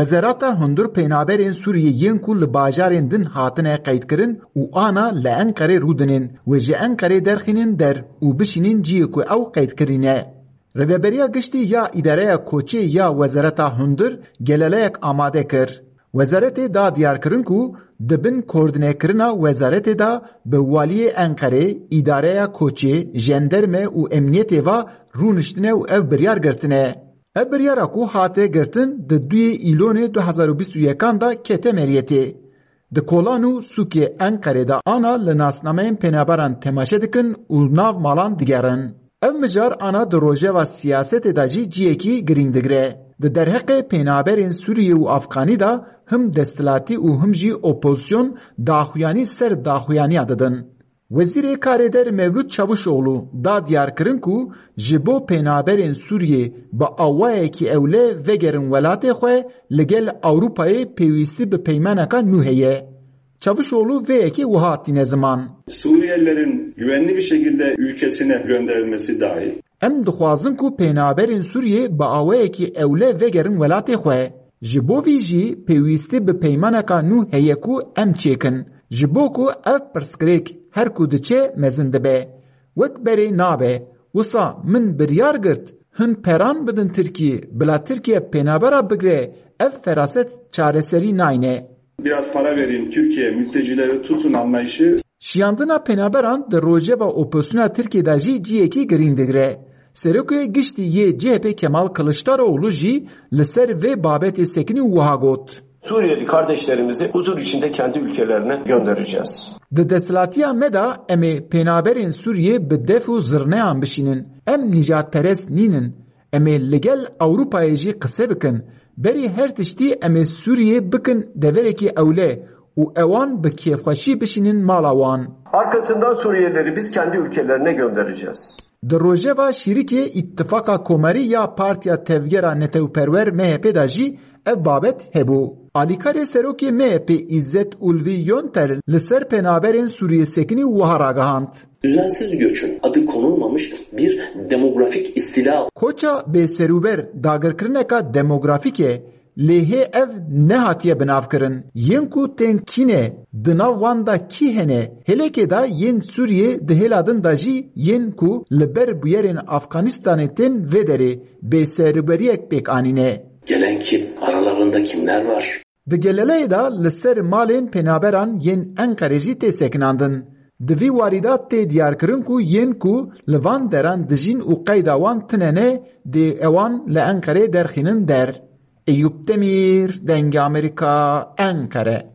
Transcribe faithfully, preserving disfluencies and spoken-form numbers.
Wezareta hundir pênaberên Sûriyê yên ku li bajarên din hatine qeydkirin û ana li Enqerê rûdinin, wê ji Enqerê derxînin der û bişînin cihê ku ew qeydkirî ne. Rêveberiya Giştî ya Îdareya Koçê ya Wezareta Hundir geleleyek amade kir. Wezaretê da diyarkirin ku di bin koordînekirina wezaretê de bi waliyê Enqerê, îdareya koçê, jenderme û emniyetê ve rûniştine û ev biryar girtine. Ev biryara ku hate girtin di duyê Îlonê du hezar û bîst û yekan de kete meriyetê. Di kolan û sûkê Enqerê de ana li nasnameyên pênaberan temaşe dikin û nav malan digerin. Ev mijar ana di rojeva siyasetê de jî cihekî girîng digire. Di derheqê pênaberên Sûriyê û Afxanî de him desthilatî û him jî opozîsyon daxuyanî ser daxuyaniya didin. Wezîrê Karê Der Mevlût Çavuşoglu da diyarkirin ku ji bo pênaberên Sûriyê bi awayekî ewle vegerin welatê xwe, li gel Ewropayê pêwîstî bi peymaneka nû heye. Çavuşoglu vê yekê wiha tîne ziman. Suriyelilerin güvenli bir şekilde ülkesine gönderilmesi dahil. Em dixwazin ku pênaberên Sûriyê bi awayekî ewle vegerin welatê xwe. Ji bo vî jî pêwîstî bi peymaneka nû heye ku em çêkin. Ji bo ku ev pirsgirêk her ku diçe mezin dibe. Wek berê nabe. Wisa min biryar girt hin peran bidin Tirkiyê, bila Tirkiye pênabera bigre, ev feraset çareserî nayne. Biraz para verin, Türkiye mültecileri tutsun anlayışı. Şiyandina pênaberan di rojeva opozisyona Tirkiyê de jî cihekî girîng digire. Serokê Giştî yê C H P Kemal Kılıçdaroğlu jî li ser vê babetê sekinî û wiha got. Suriyeli kardeşlerimizi huzur içinde kendi ülkelerine göndereceğiz. Di desthilatiya me de em ê pênaberên Sûriyê bi def û zirneyan bişînin. Em nîjadperest nînin. Em ê li gel Ewropayê jî qise bikin. Berî her tiştî em ê Sûriyê bikin deverekî ewle û ewan bi kêfxweşî bişînin mala wan. Arkasından Suriyelileri biz kendi ülkelerine göndereceğiz. Di rojeva şîrikê Îttifaka Komarî ya Partiya Tevgera Netewperwer M H P de jî ev babet hebû. Alîkarê serokê M H P Îzzet Ulvi Yonter li ser pênaberên Sûriyê sekinî û wiha ragihand. Düzensiz göçün adı konulmamış bir demografik istila. Koça bêserûber dagirkirineka demografîk e, lê hê ev nehatiye binavkirin. Yên ku tên kî ne, di nav wan de kî hene, hêlekê de yên Sûriyê di hêla din de jî yên ku li ber bûyerên Afganistanê tên vê derê bêserûberiyek pêk anîne. Gelen kim? Aralarında kimler var? Di geleleyê de li ser malên pênaberan yên Enqerê jî tê sekinandin. Di vî warî de tê diyarkirin ku yên ku li van deran dijîn û qeyda wan tune ne, dê ewan li Enqerê derxînin der. Eyûp Demîr, Dengê Amerîka, Enqere.